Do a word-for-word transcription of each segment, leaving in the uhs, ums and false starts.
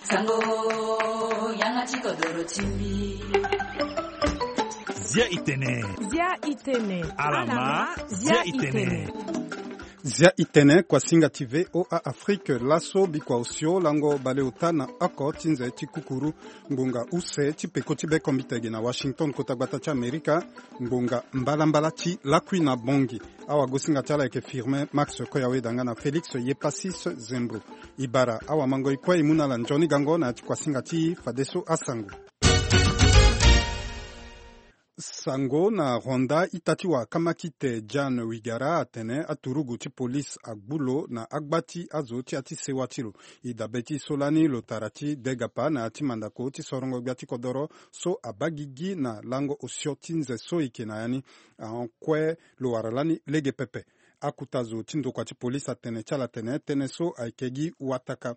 Sango, yanga ti kodoro ti mbi. Zia itene. Zia itene. Alama, zia itene. Zia itene, kuasinga ti V O A Afrique, laso bikua osio lango baleota na oko ti nze ti kukuru, ngbonga use ti peko ti be kombite ge na Washington, kota gbata ti Amerika, ngbonga mbalambala ti lakui na bongi. Awagosinga ti ala ayeke Firmin Max Koyaweda nga na Félix Yepasis Zembro. E bara awamango e kue e mu na ala nzoni gango na ya ti kuasinga ti e fadeso asango. Sango na Rwanda, ita ti wara kamakite Jan Wigara atene aturugu ti polise agbu lo na agba ti azo ti ya ti sewa ti lo. E dabe ti so lani lo tara ti degapa na ya ti mandako ti sorongo gbia ti kodoro so abaa gigi na lango osio ti nze so e yeke na ya ni. Ahon kue lo wara lani lege pepe. Akuta zo ti ndokua ti polise atene ti ala tene tënë so ayeke gi wataka.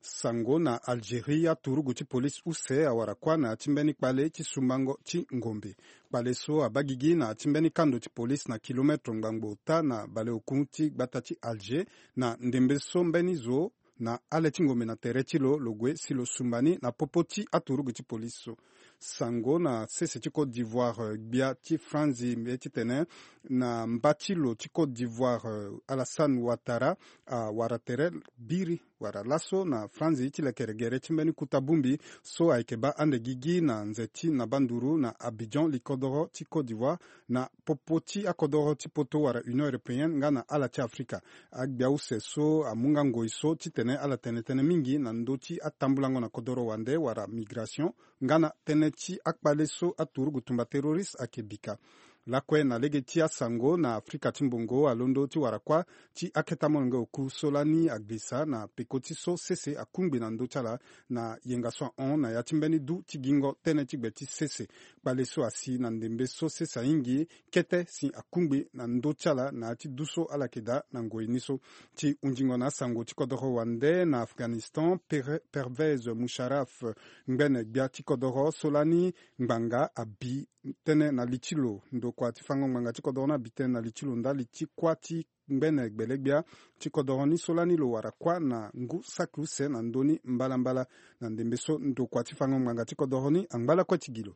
Sango na Algérie, aturugu ti polise use awara kuâ na ya ti mbeni kpale ti sumbango ti ngombe. Kpale so abaa gigi na ya ti mbeni kando ti polise na kilometre ngbangbo ota na baleoku ti gbata ti Alger, na ndembe so mbeni zo na ale ti ngombe na tere ti lo lo gue si lo sumba ni na popo ti aturugu ti polise so. Sango na sese ti Côte d'Ivoire, eh, gbia ti Franzi mbi ye titene na mba ti lo ti Côte d'Ivoire, eh, Alassane Ouattara awara tere biri wala laso na Franzi ti lekere gere ti mbeni kuta bongbi so ayeke baa ande gigi na nze ti na banduru na Abidjan, likodoro ti Côte d'Ivoire, na popo ti akodoro ti poto wala Union Européenne nga na ala ti Afrika. Agbia use so amu nga ngoi so titene ala tene tënë mingi na ndö ti atambulango na kodoro wande wala migration, nga na tënë ti akpale so aturugu tumba terroriste ayeke bika. Lakue na lege ti asango na Afrika ti mbongo alondo ti wara kuâ ti akete amolenge oku so lani agbisa na peko ti so sese akungbi na ndö ti ala na yenga so ahon na ya ti mbeni du ti gingo tënë ti gbe ti sese. Kpale so asi na ndembe so sese ahingi kete si akungbi na ndö ti ala na ya ti du so ala yeke daa na ngoi ni so. Ti hunzingo na asango ti kodoro wande na Afghanistan, Pere- Pervez Musharraf, ngbene gbia ti kodoro so lani ngbanga abi tënë na li ti lo, ndokua ti fango ngbanga ti kodoro ni abi tënë na li ti lo ndali ti kuâ ti ngbene gbele-gbia ti kodoro ni so lani lo wara kuâ na ngu saki use na ndö ni mbalambala. Na ndembe so ndokua ti fango ngbanga ti kodoro ni angba lakue ti gi lo.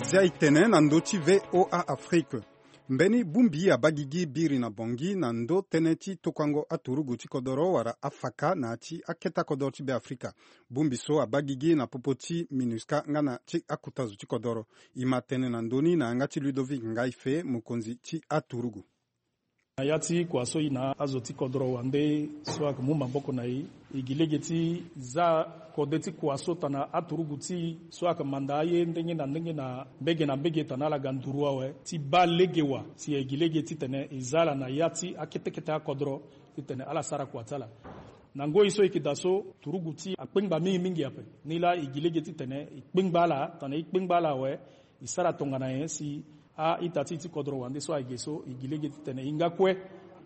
Zia e tene na ndö ti V O A Afrique. Mbeni bongbi abaa gigi biri na Bangui na ndö tënë ti tokuango aturugu ti kodoro wala afaka na ya ti akete akodoro ti Beafrika. Bongbi so abaa gigi na popo ti MINUSCA nga na ti akuta zo ti kodoro. E ma tene na ndö ni na yanga ti Ludovic Ngaife, mokonzi ti aturugu. Na ya ti kua so e na azo ti kodoro wande so ayeke mu maboko na e, e gi lege ti za kode ti kua so tana aturugu ti e so ayeke manda aye ndenge na ndenge na mbege na mbege tana ala ga nduru awe ti baa lege wa si e gi lege titene e za ala na ya ti akete kete akodoro titene ala sara kua ti ala. Na ngoi so e yeke daa so, turugu ti e akpengba mingi mingi ape. Nilaa e gi lege titene e kpengba ala, tana e kpengba ala awe, e sara tongana nyen si a-ita ti e ti kodoro wande so ayeke so, e gi lege titene e nga kue,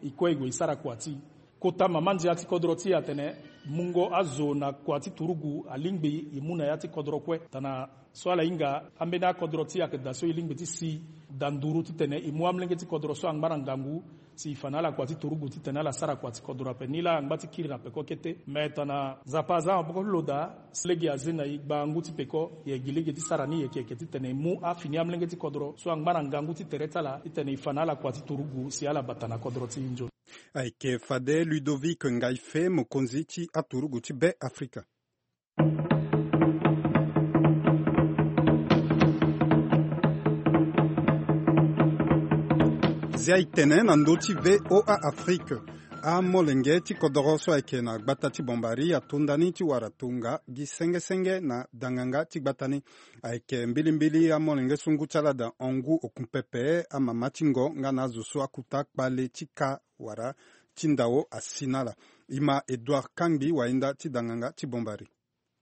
e kue e gue e sara kua ti e. Kota mama ndia ti kodoro ti e atene mungo azo na kua ti turugu alingbi e mu na ya ti kodoro kue. Tana so ala hinga ambeni akodoro ti e ayeke daa so e lingbi ti si da nduru titene e mu amolenge ti kodoro so angba na ngangu si e fa na ala kua ti turugu titene ala sara kua ti kodoro ape. Nilaa angba ti kiri na peko kete. Me tana Nzapa aza maboko ti lo daa, si lege aze na e gbangu ti peko, e gi lege ti sara ni yeke yeke titene e mu afini amolenge ti kodoro so angba na ngangu ti tere ti ala titene e fa na ala kua ti turugu si ala bata na kodoro ti e nzoni. Ayeke fade Ludovic Ngaife, mokonzi ti aturugu ti Beafrika. Zia e tene na ndö ti V O A Afrique. Amolenge ti kodoro so ayeke na gbata ti Bombari atonda ni ti wara tonga gi senge senge na danganga ti gbata ni. Ayeke mbilimbili amolenge so ngu ti ala daa hon ngu oku pepe, amama ti ngo nga na azo so akuta kpale ti ka wala ti ndao asi na ala. E ma Edouard Kangbi, wahinda ti danganga ti Bombari.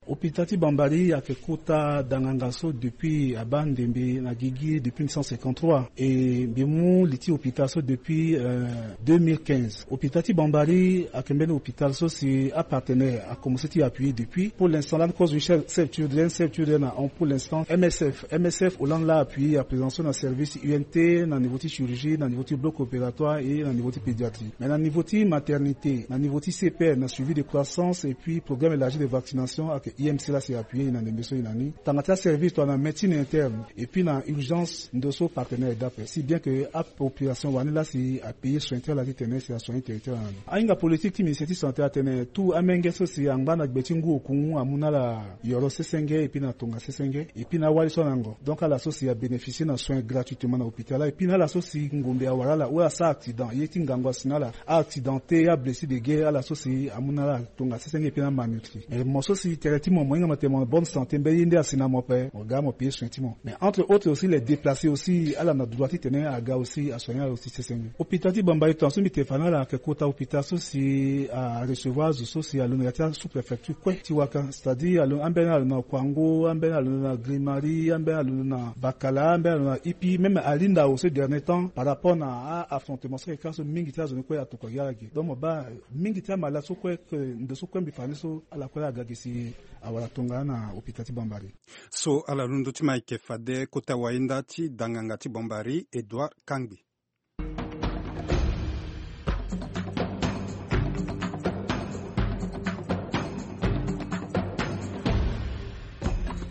Hôpital ti Bambari ayeke kota danganga so depuis abaa ndembe na gigi depuis mille neuf cent cinquante-trois, e mbi mu li ti hôpital so depuis euh, deux mille quinze. Hôpital ti Bambari ayeke mbeni hôpital so si apartenaire akomense ti appuyer depuis. Pour l'instant lani kozo chef chef ti ode chef ti ode na hon pour l'instant M S F. M S F Hollande laa appuyer à présent so na service U N T, na niveau ti chirurgie, na niveau ti bloc opératoire et na niveau ti pédiatrie. Mais na niveau ti maternité, na niveau ti C P R, na suivi de croissance et puis programme élargi de vaccination ayeke I M C laa si appuyer e na ndembe so e na ni. Tanga ti aservice tongana médecine interne et puis na urgence ndo so partenaire e daa ape. Si bien que apopulation wani laa si apayer soin ti ala titene si asoigner tere ti ala na ni. Ahinga politique ti ministère ti santé atene tout amenge so si angba na gbe ti ngu oku amu na ala yoro sesenge et puis na tonga sesenge et puis na awali so alango. Donc ala so si abénéficier na soin gratuitement na hôpital et puis na ala so si ngombe awara ala ou asara accident, ye ti ngangu asi na ala, a-accidenté, ablessé de guerre, ala so si amu na ala tonga sesenge et puis na malnutri. Mais mo so si tere ti mo mo hinga mo tene mo na bonne santé, mbeni ye nde asi na mo ape, mo ga mo payer soin ti mo. Mais entre autres aussi les déplacés aussi ala na droit titene aga aussi asoigner ala aussi sesenge. Hôpital ti Bambari tongaso mbi tene fa na ala ayeke kota hôpital so si arecevoir azo so si alondo na ya ti asous-préfecture kue ti waka, c'est-à-dire alo ambeni alondo na Kouango, ambeni alondo na Grimari, ambeni alondo na Bakala, ambeni alondo na Ipi, même Alinda au ce dernier temps par rapport na a-affrontement so ayeke ka so mingi ti azo ni kue atokua gi ala ge. Donc mo baa mingi ti amalade so kue, ndo so kue mbi fa ni so ala kue laa aga ge si awara tongana na hôpital ti Bambari. So ala londo ti ma ayeke fade kota wayinda ti danganga ti Bambari Edouard Kangbi.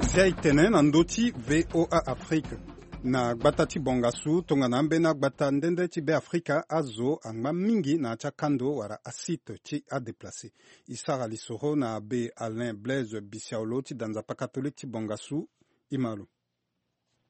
Si aye tene na ndö ti V O A Afrique na gbata ti Bangassou tongana ambeni agbata nde nde ti Beafrika, azo angba mingi na ya ti akando wala asite ti adéplacé. E sara lisoro na Abbé Alain Blaise Bissiaolo ti da nzapa catholique ti Bangassou. E ma lo.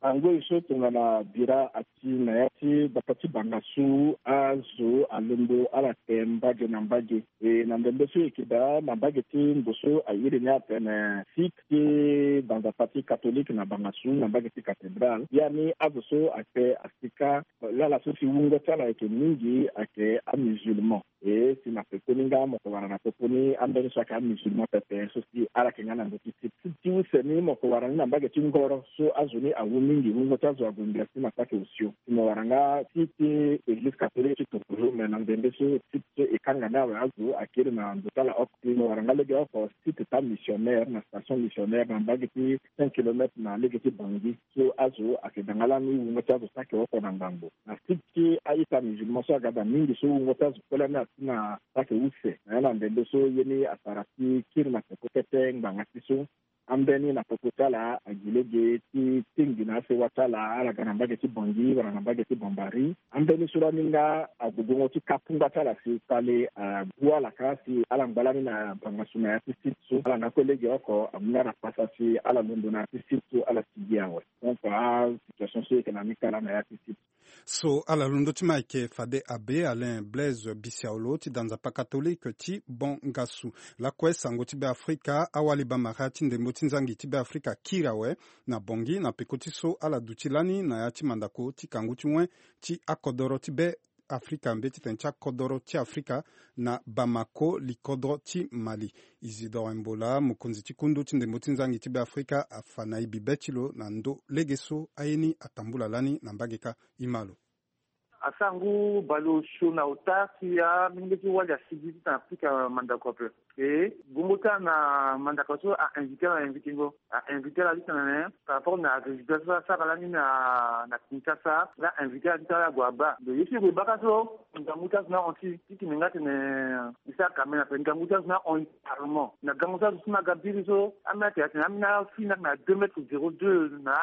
Angoi so tongana bira ati na ya ti gbata ti Bangassou, azo alombo ala te mbage na mbage. E na ndembe so e yeke daa na mbage ti ndo so a iri ni atene site ti da nzapa ti catholique na Bangassou na mbage ti cathédrale. Ya ni azo so ayeke asika lala so si wungo ti ala ayeke mingi ayeke amusulman. E si na pekoni nga mo ko wara na popo ni ambeni so ayeke amusulman pepe so si ala yeke nga na ndö ti site. Site ti use ni mo ko wara ni na mbage ti ngoro so azo ni awu mingi, wungo ti azo ague ngbia si na saki osio. Si mo wara nga site ti église catholique ti Tokolo, me na ndembe so site so e kanga ni awe azo akiri na ndo ti ala oko. Si mo wara nga legeoko site ti amissionnaire na station missionnaire na mbage ti cinq kilomètres na lege ti Bangui. So azo ayeke da nga lani wungo ti azo saki oko na ngangu. Na site ti a-ita musulman so aga da mingi so wungo ti azo kue lani asi na saki use. Na ya na ndembe so ye ni asara ti kiri na peko kete ngbanga ti so. Ambeni na popo ti ala agi lege ti tingbi na asewa ti ala, ala ga na mbage ti Bangui wala na mbage ti Bambari. Ambeni so lani nga ague gongo ti ka kungba ti ala si kpale agu ala ka si ala ngba lani na Bangassou na ya ti site so. Ala nga kue legeoko amu na ala pasa si ala londo na ya ti site so ala sigi awe. Donc asituation so e yeke na ni kala na ya ti site. So ala londo ti ma ayeke fade Abbé Alain Blaise Bissiaolo ti da nzapa catholique ti Bangassou. Lakue sango ti Beafrika, awali bamara ti ndembo ti nzangi ti Beafrika kiri awe na Bangui na peko ti so ala duti lani na ya ti mandako ti kangu ti wen ti akodoro ti Beafrika, mbeti tene ti akodoro ti Afrika na Bamako, likodro ti Mali. Isidore Mbola, mokonzi ti kundu ti ndembo ti nzangi ti Beafrika, afa na e bibe ti lo na ndo lege so aye ni atambula lani na mbage kâ. E ma lo. Asangu baleosio na ota si amenge ti wali asigi ti tene Afrika mandako ape. E gongo ti ala na mandako so a invité ala, invité ngo a invité ala ti tene par rapport na résultat so asara lani na na Kinshasa, la invité ala ti tene ala gue abaa. Donc ye so e gue baa ka so ngangu ti azo ni ahon ti titene nga tene e sara kamera ape, ngangu ti azo ni ahon carrément. Na gango ti azo so ni aga biri so ambeni atene atene ambeni afini na deux mètres zéro deux na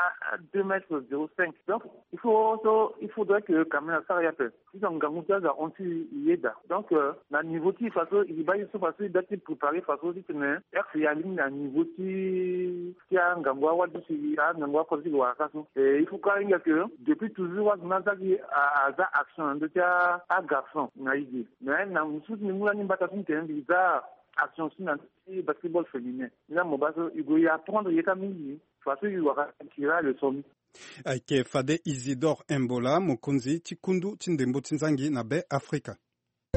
deux mètres zéro cinq. Donc il faut so il faudrait que kamera asara ye ape. Ti so ngangu ti azo ahon ti e yeda. Donc na niveau ti e faso e baa ye so faso e baa ti préparer faso titene R C A alingbi na niveau ti ti angangu awali ti si angangu akozo ti lo wara ka so. Il faut kâ ahinga que depuis toujours azo ni aza gi aza action na ndö ti agarçon na e ge. Mais na mosusu mbi mu lani mbata so mbi tene mbi za action so na ndö ti basketball féminin. Ni la mo baa so e gue e apprendre ye kâ mingi faso e wara tira leçon ni. Ayeke fade Isidore Mbola, mokonzi ti kundu ti ndembo ti nzangi na Beafrika.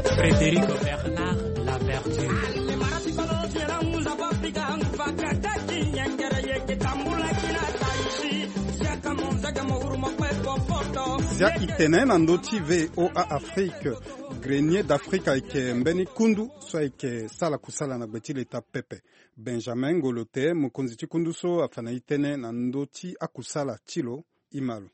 Frédéric Bernard Laverture. Zia itene na ndö ti V O A Afrique. Grenier d'Afrique ayeke mbeni kundu so ayeke sala kusala na gbe ti leta pepe. Benjamin Ngolote, mokonzi ti kundu so, afa na itene na ndö ti akusala ti lo. Ima lo.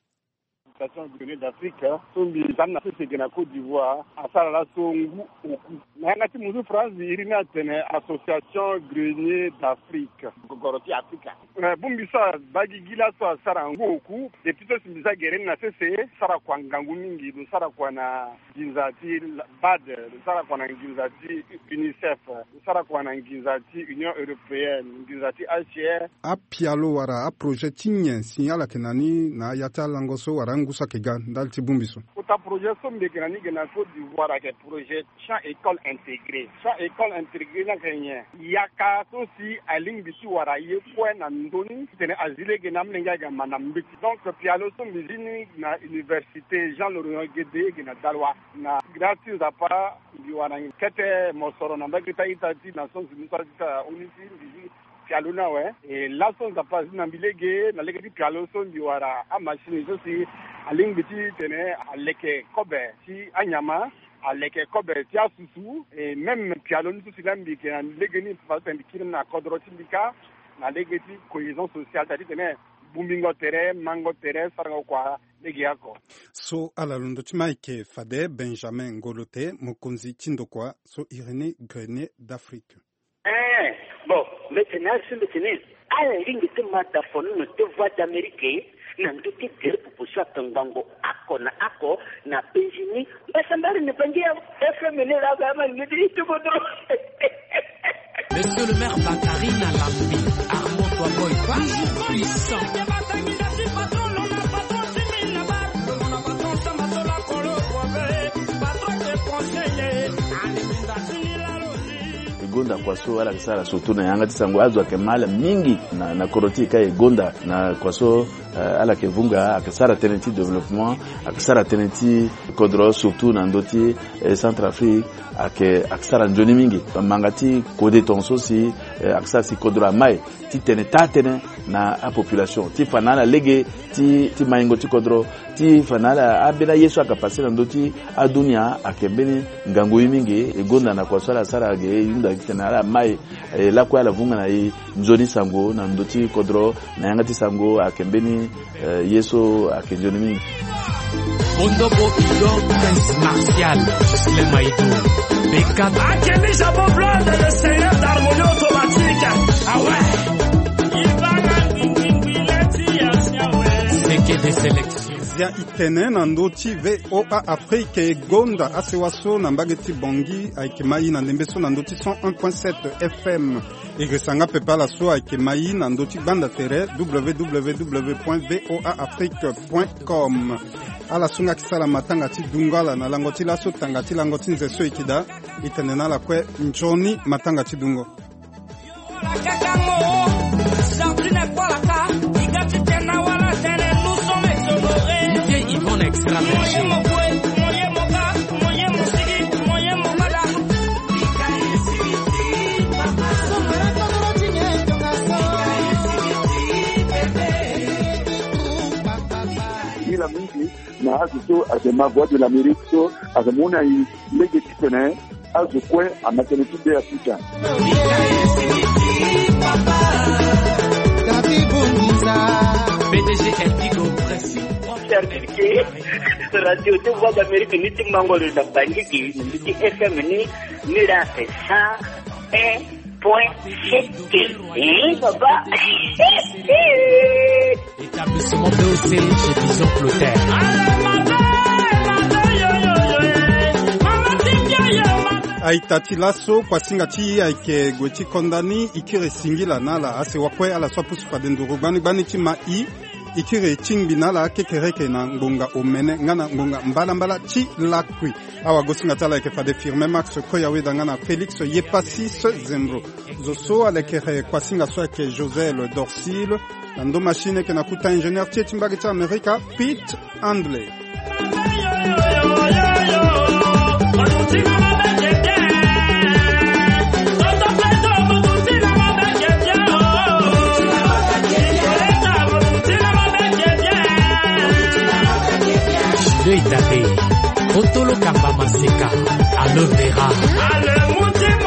Association Grenier d'Afrique so mbi za ni na sese ge na Côte d'Ivoire asara laso ngu oku. Na yanga ti muzu France iri ni atene Association Grenier d'Afrique. Gogoro ti Afrika. Eh, bongbi so abaa gigi laso asara ngu oku. Depuis so si mbi za gere ni na sese, sara kua ngangu mingi, lo sara kua na nginza ti BAD, lo sara kua na nginza ti UNICEF, lo sara kua na nginza ti Union Européenne, nginza ti H C R. Apialo wala aprojet ti nyen si ala yeke na ni na ya ti alango so wala angu so ayeke ga ndali ti bongbi so? Kota projet so mbi yeke na ni ge na Côte d'Ivoire ayeke projet Champ école intégré. Champ école intégré ni ayeke nyen? Yaka so si alingbi ti wara ye kue na ndö ni titene azi lege na amolenge aga ma na mbeti. Donc pialo so mbi zi ni na université Jean Lorillon Guédé ge na Daloa. Na grâce ti Nzapa mbi wara kete mosoro na mbage ti a-ita ti Nations Unies so azi ti ONUCI, mbi zi pialo ni awe. E laso Nzapa azi na mbi lege, na lege ti pialo so mbi wara amachine so si alingbi titene aleke kobe ti anyama, aleke kobe ti asusu, e même pialo ni so si laa mbi yeke na lege ni, fa titene mbi kiri ni na kodro ti mbi kâ, na lege ti cohésion sociale, c'est-à-dire titene bongbingo tere, mango tere, sarango kua legeoko. So ala londo ti ma ayeke fade Benjamin Ngolote, mokonzi ti ndokua so iri ni Grenier d'Afrique. Eh, bon, mbi tene azo mbi tene ala lingbi ti ma dafono na ndö ti Voix d'Amérique na ndö ti gere popo so ayeke ngbongo oko na oko na penzi ni. Mbasambala ni bangi ya F M ni laa, ama ni ti kodro. Monsieur le maire Bakari na Lambi, Armand Toaboy, toujours puissant. E gonda kua so ala yeke sara surtout na yanga ti sango, azo ayeke ma ala mingi na, na kodro ti e kâ. E gonda na kua so, eh, ala yeke vunga, ayeke sara tënë ti développement, ayeke sara tënë ti kodro, surtout na ndö ti, eh, Centrafrique, ayeke, ayeke sara nzoni mingi. Manga ti kode tongaso si, eh, ayeke sara si kodro amai titene taa tënë na apopulation ti fa na ala lege ti, ti maingo ti kodro, ti fa na ala ambeni aye so ayeke pase na ndö ti adunia ayeke mbeni ngangu ye mingi. E gonda na kua so ala sara ge, e hunda titene ala mai, e lakue ala vunga na e nzoni sango na ndö ti kodro. Na yanga ti sango ayeke mbeni, eh, ye so ayeke nzoni mingi. Bondo Bokido, Prince Martial, Ghislain Maïdou, Beckham. Akemi Jabo Blood, le seigneur d'harmonie automatique. Ah ouais. Seke de sélection. Zia itene na ndö ti V O A Afrique. E gonda asewa so na mbage ti Bangui ayeke mai na ndembe so na ndö ti cent un point sept F M. E girisa nga pepe ala so ayeke mai na ndö ti gbanda tere, W W W point V O A Afrique point com. Ala so nga yeke sara matanga ti dungo ala na lango ti laso tanga ti lango ti nze so e yeke daa. E tene na ala kue nzoni matanga ti dungo. Ila mingi na azo so ayeke ma Voix de l'Amérique so ayeke mu na e lege titene azo kue ama tënë ti be afuta. P D G Elpigo Pressing. Serge ke radio ti Voix d'Amérique ni ti mango lo na Bangui, ti F M ni, ni la sa un point sept. Eh, papa. Établissement B O C chez Bison Clotaire. A-ita ti laso, kuasinga ti e ayeke gue ti konda ni. E kiri e singila na ala asewa kue, ala so apusu fade nduru gbani gbani ti ma e. E kiri e tingbi na ala kekereke na ngbonga omene nga na ngbonga mbalambala ti lakui. Awagosinga ti ala ayeke fade Firmin Max Koyaweda nga na Félix Yepassi Sezembro. Zo so alekere kuasinga so ayeke Josel Dorcil. Na ndo machine ayeke na kuta ingénieur ti e ti mbage ti Amerika, Pete Handley. Eitabe, kotolo kamba maseka, aloe vera.